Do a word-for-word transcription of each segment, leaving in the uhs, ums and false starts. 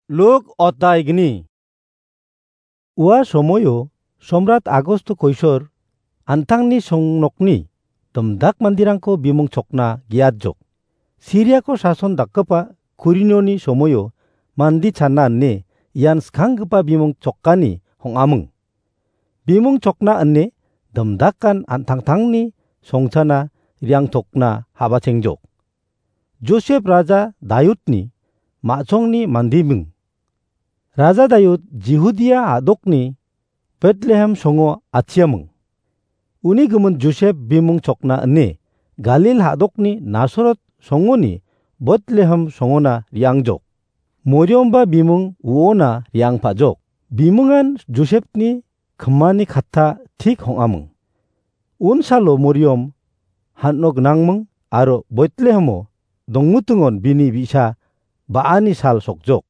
Luk otaigni. Ua somoio Somrat Agosto koisor an·tangni songnokni domdak manderangko bimung chokna ge·atjok. Siriako sason dakgipa Kurinioni somoio mande chana ine ian skanggipa bimung chokani hong·aming. Bimung chokna ine domdakan an·tangtangni songchana riangtokna habachengjok. Josep raja Dayudni ma·songni mandiming. Raja Dayud Jihudia a·dokni Betlehem songo atchiaming. Uni gimin Josep bimung chokna ine Galil a·dokni Nasaret songoni Betlehem songona riangjok. Moriomba bimung uona riangpajok. Bimungan Josepni kimani katta tik hong·aming. Unsalo Moriom han·o gnangming aro Betlehemo dongmutingon bini bi·sa ba·ani sal sokjok.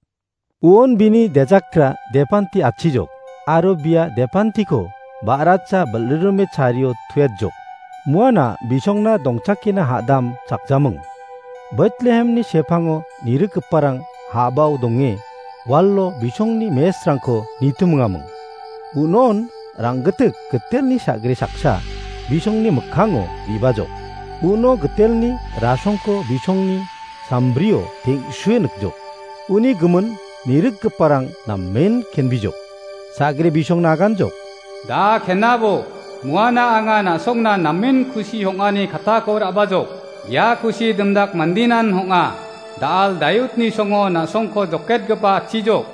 Uon bini dejakra depanti atchijok, aro bia depantiko ba·racha bilrime chario tuetjok. Muana bisongna dongchakina ha·dam chakjaming. Betlehemni sepango nirikgiparang ha·bao donge, walo bisongni mesrangko nitimingaming. Unon rang·gitik gitelni sagre saksa bisongni mikkango ribajok. Uno gitelni rasongko bisongni sambrio teng·sue nikjok. Uni gimin nirikgiparang namen kenbijok. Sagre bisongna aganjok. Da kenabo, muana anga na·songna namen kusi hong·ani kattako ra·bajok. Ia kusi dimdak mandinan hong·a. Da·al Dayudni songo na·songko joketgipa atchijok.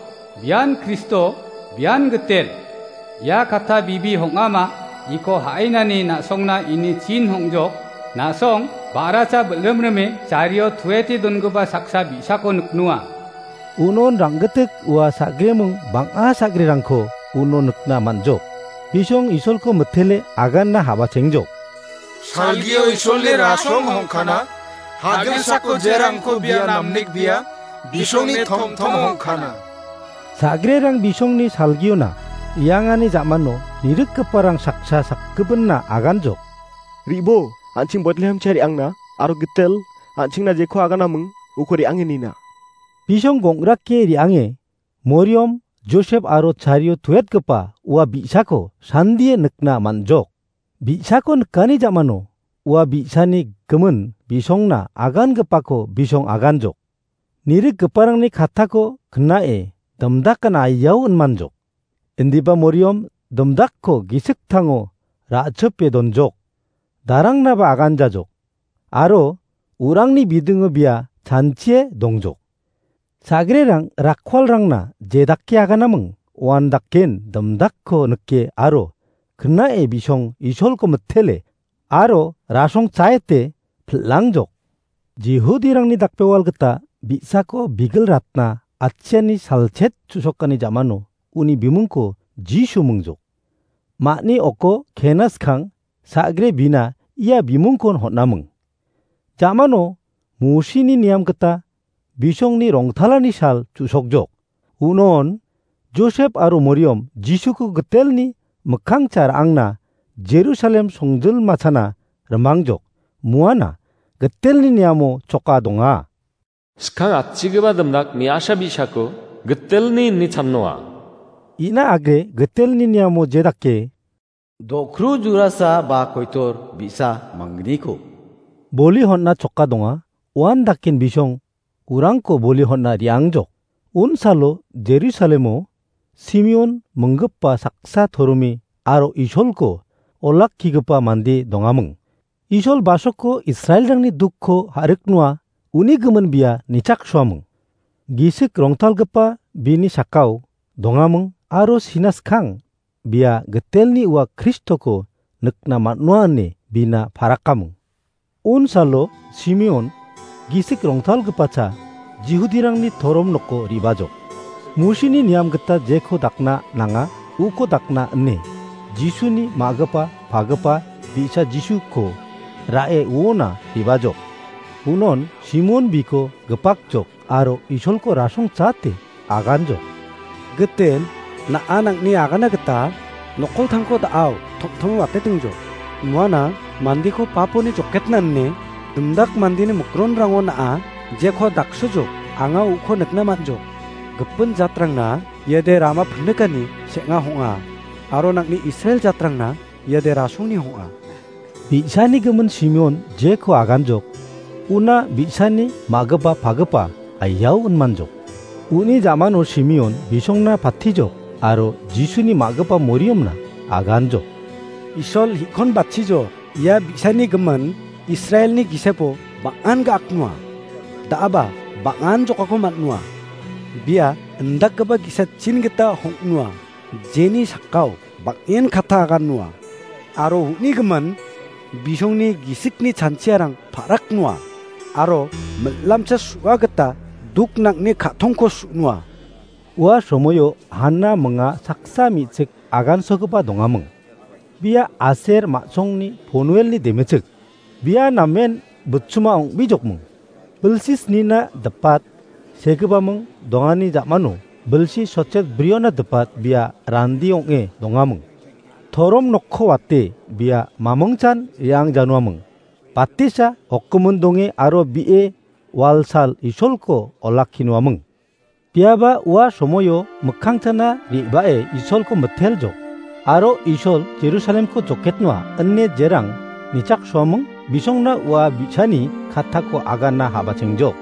Bian Kristo, bian gitel. Ia katta bibi hong·ama, iko ha·ainani na·songna ini chin hong·jok. Na·song, ba·racha bilrimrime, chario tuete dongipa saksa bi·sako niknoa. Unon rang·gitik ua sagreming bang·a sagrerangko uno nikna man·jok. Bisong Isolko mitele aganna habachengjok. Salgio Isolni rasong hongkana, hagilsako jerangko bia namnik bia, bisongni tomtom hongkana. Sagrerang bisongni salgiona iangani jamano nirikgiparang saksa sakgipinna aganjok. Ribo, an·ching Betlehem cha re·angna, aro gitel, an·chingna jeko aganaming, uko re·ange nina. Bisong gong·rake re·ange, Moriom, Josep aro chario tuetgipa ua bi·sako sandie nikna man·jok. Bi·sako nikani jamano ua bi·sani gimin bisongna agangipako bisong aganjok. Nirikgiparangni kattako knae dimdakan aiao inmanjok. Indiba Moriom dimdakko gisik tango ra·chipe donjok. Darangnaba aganjajok. Aro urangni bidingo bia chanchie dongjok. Sagrerang rakkualrangna jedake aganaming uandaken dimdakko nike aro knae bisong Isolko mitele aro rasong chaete pil·angjok. Jihudirangni dakbewal gita bi·sako bigil ratna atchiani salchet chu·sokani jamano uni bimungko Jisu mingjok. Ma·ni oko kena skang sagre bina ia bimungkon hon·aming. Jamano Mosini niam gita bisongni rongtalani sal chu·sokjok. Unon Josep aro Moriom Jisuko gitelni mikkangcha ra·angna Jerusalem songjilmachana rimangjok. Muana gitelni niamo choka donga. Skang atchigipa dimdak me·asa bi·sako gitelni ine channoa. Ina agre gitelni niamo jedake do·kru jurasa ba koitor bi·sa mangniko boli hon·na choka donga. Uan daken bisong urangko boli hon·na re·angjok. Unsalo Jerusalemo Simeon minggipa saksa torome aro Isolko olakkigipa mande dongaming. Isol basoko Israelrangni dukko ha·riknoa uni gimin bia nichaksoaming. Gisik rongtalgipa bini sakao dongaming aro sina skang bia gitelni ua Kristoko nikna man·noa ine bina parakaming. Unsalo Simeon gisik rongtalgipacha Jihudirangni torom noko ribajok. Mosini niam gita jeko dakna nanga uko dakna ine Jisuni ma·gipa pagipa bi·sa Jisuko ra·e uona ribajok. Unon Simeon biko gipakjok aro Isolko rasong chate aganjok. Gitel, na·a nang·ni agana gita nokoltangko da·ao, toptong watetingjok. Muana mandeko paponi joketna ine, dimdak mandeni mikronrango na·a jeko daksojok, anga uko nikna man·jok. Gipin jatrangna iade rama pinikani seng·a hong·a, aro nang·ni Israel jatrangna iade rasongni hong·a. Bi·sani gimin Simeon jeko aganjok, una bi·sani ma·gipa pagipa aiao inmanjok. Uni jamano Simeon bisongna pattijok aro Jisuni ma·gipa Moriamna aganjok. Isol hi·kon batchijo, ia bi·sani gimin Israelni gisepo bang·an ga·aknoa. Da·aba bang·an jokako man·noa. Bia indakgipa gisatchin gita hong·noa, jeni sakao bang·en katta agannoa. Aro uni gimin bisongni gisikni chanchiarang pa·raknoa. Aro mil·lamcha su·a gita duknangni ka·tongko su·noa. Ua somoio Hanna minga saksa me·chik agansogipa dongaming. Bia Aser ma·songni Ponuelni demechik. Bia namen butchuma ong·bijokming. Bilsi snina dipat segipaming dongani ja·mano bilsi sotchet briona dipat bia randi ong·e dongaming. Torom nokko wate bia mamingchan re·ang januaming. Batisa okgimin donge aro bi·e walsal Isolko olakkinuaming. Biaba ua somoio mikkangchana re·bae Isolko miteljok. Aro Isol Jerusalemko joketnoa ine jerang nichaksoaming bisongna ua bi·sani kattako aganna habachengjok.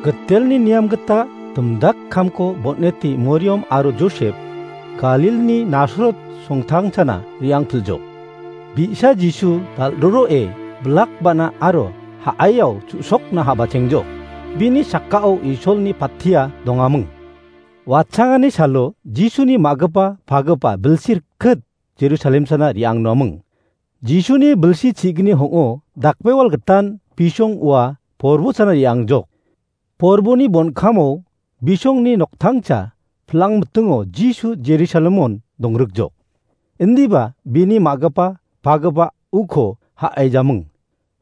Gitelni niam gita dimdak kamko bon·eti Moriam aro Josep Galilni Nasarot songtangchana re·angpiljok. Bi·sa Jisu dal·roroe bilak ba·na aro ha·aiao chu·sokna habachengjok. Bini sakao Isolni pattia dongaming. Watchangani salo Jisuni ma·gipa pagipa bilsi rikit Jerusalem sana re·angnoaming. Jisuni bilsi chi·gni hong·o dakbewal gitan bisong ua porbo sana re·angjok. Porboni bonkamo bisongni noktangcha pilangmitingo Jisu Jerusalemon dongrikjok. Indiba bini ma·gipa pagipa uko ha·aijaming.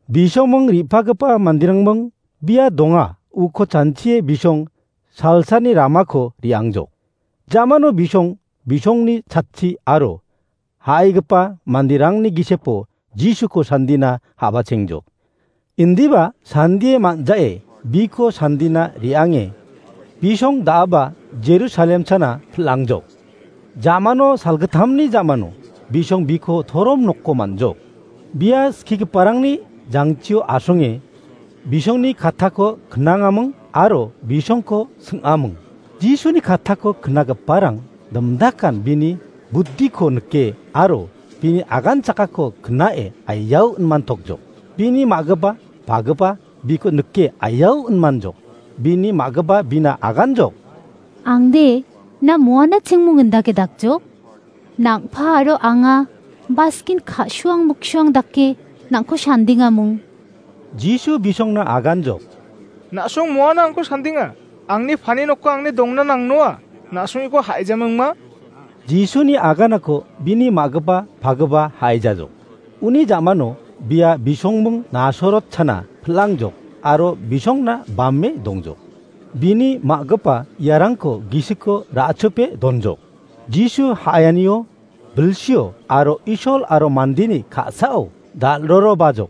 Bisongming re·pagipa manderangbing bia donga uko chanchie bisong salsani ramako re·angjok. Jamano bisong, bisongni chatchi aro ha·aigipa manderangni gisepo Jisuko sandina habachengjok. Indiba sandie man·jae biko sandina re·ange bisong da·aba Jerusalem chana pil·angjok. Jamano salgittamni jamano bisong biko torom nokko man·jok. Bia skigiparangni jangchio asonge bisongni kattako knangaming aro bisongko sing·aming. Jisuni kattako knagiparang dimdakan bini buddiko nike aro bini agan chakako knae aiao inmantokjok. Bini ma·gipa pagipa biko nike aiao inmanjok. Bini ma·gipa bina aganjok. Angde, na moana chingmung indake dakjok? Nang·pa aro anga baskin ka·suang muksuang dake nang·ko sandingamung. Jisu bisongna aganjok. Na·song moana angko sandinga. Angni pani nokko angni dongna nangnoa. Na·songiko ha·ijamingma. Jisuni aganako bini ma·gipa pagipa ha·ijajok. Uni jamano bia bisongming Nasorot chana pil·angjok aro bisongna bame dongjok. Bini ma·gipa iarangko gisiko ra·chope donjok. Jisu ha·aianio bilsio aro Isol aro mandeni ka·sao dal·rorobajok.